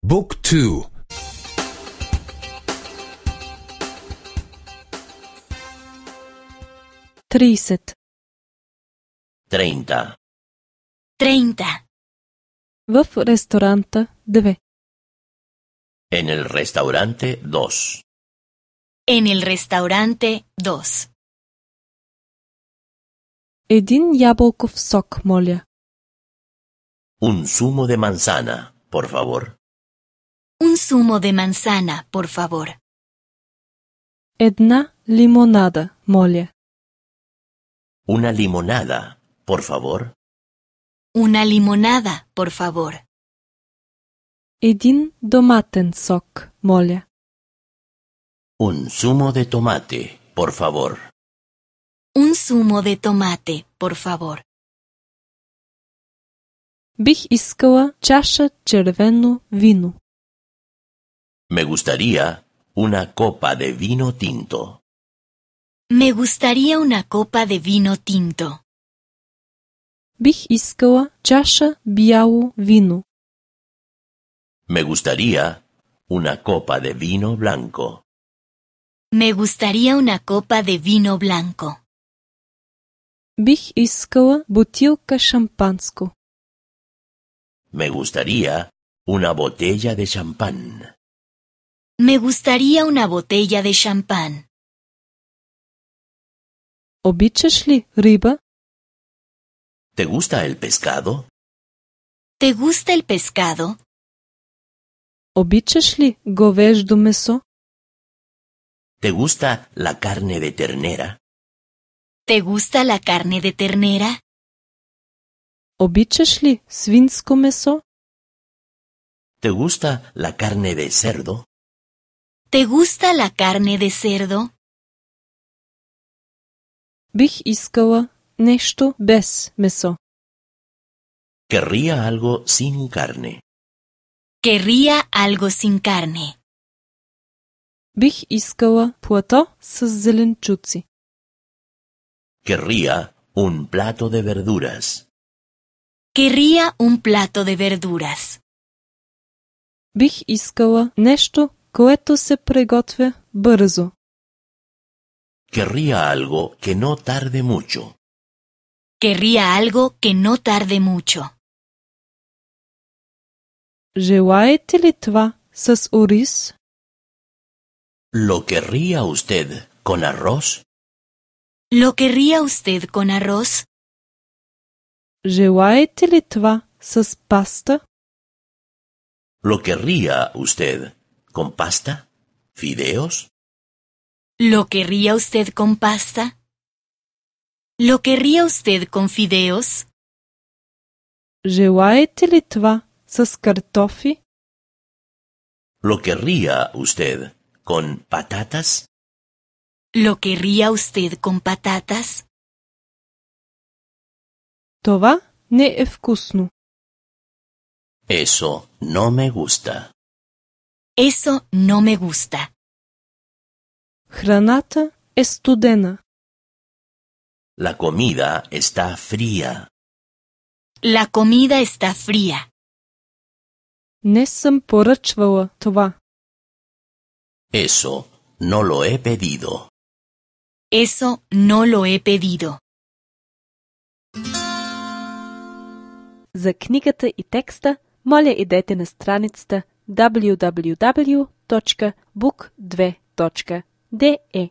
Book 2. 30. 30. 30. В ресторанта 2. En el restaurante 2. En el restaurante 2. Един ябълков сок, моля. Un zumo de manzana, por favor. Un zumo de manzana, por favor. Една лимонада, моля. Una limonada, por favor. Una limonada, por favor. Един доматен сок, моля. Un zumo de tomate, por favor. Un zumo de tomate, por favor. Бих искала чаша червено вино. Me gustaría una copa de vino tinto. Me gustaría una copa de vino tinto. Бих искала чаша бяло вино. Me gustaría una copa de vino blanco. Me gustaría una copa de vino blanco. Бих искала бутилка шампанско. Me gustaría una botella de champán. Me gustaría una botella de champán. Обичаш ли риба? ¿Te gusta el pescado? ¿Te gusta el pescado? Обичаш ли говеждо месо? ¿Te gusta la carne de ternera? ¿Te gusta la carne de ternera? Обичаш ли свинско месо? ¿Te gusta la carne de cerdo? ¿Te gusta la carne de cerdo? Бих искала нещо без месо. Querría algo sin carne. Querría algo sin carne. Бих искала плато с зеленчуци. Querría un plato de verduras. Querría un plato de verduras. Бих искала нещо, което се приготвя бързо. Querría algo que no tarde mucho. Querría algo que no tarde mucho. Желаете ли това с ориз? ¿Lo querría usted con arroz? ¿Lo querría usted con arroz? Желаете ли това с паста? ¿Lo querría usted con pasta? ¿Fideos? ¿Lo querría usted con pasta? ¿Lo querría usted con fideos? Желаете ли това с картофи? ¿Lo querría usted con patatas? ¿Lo querría usted con patatas? Това не е вкусно. Eso no me gusta. Eso no me gusta. Храната е студена. La comida está fría. La comida está fría. Не съм поръчвала това. Eso no lo he pedido. Eso no lo he pedido. За книгата и текста, моля идете на страницата www.book2.de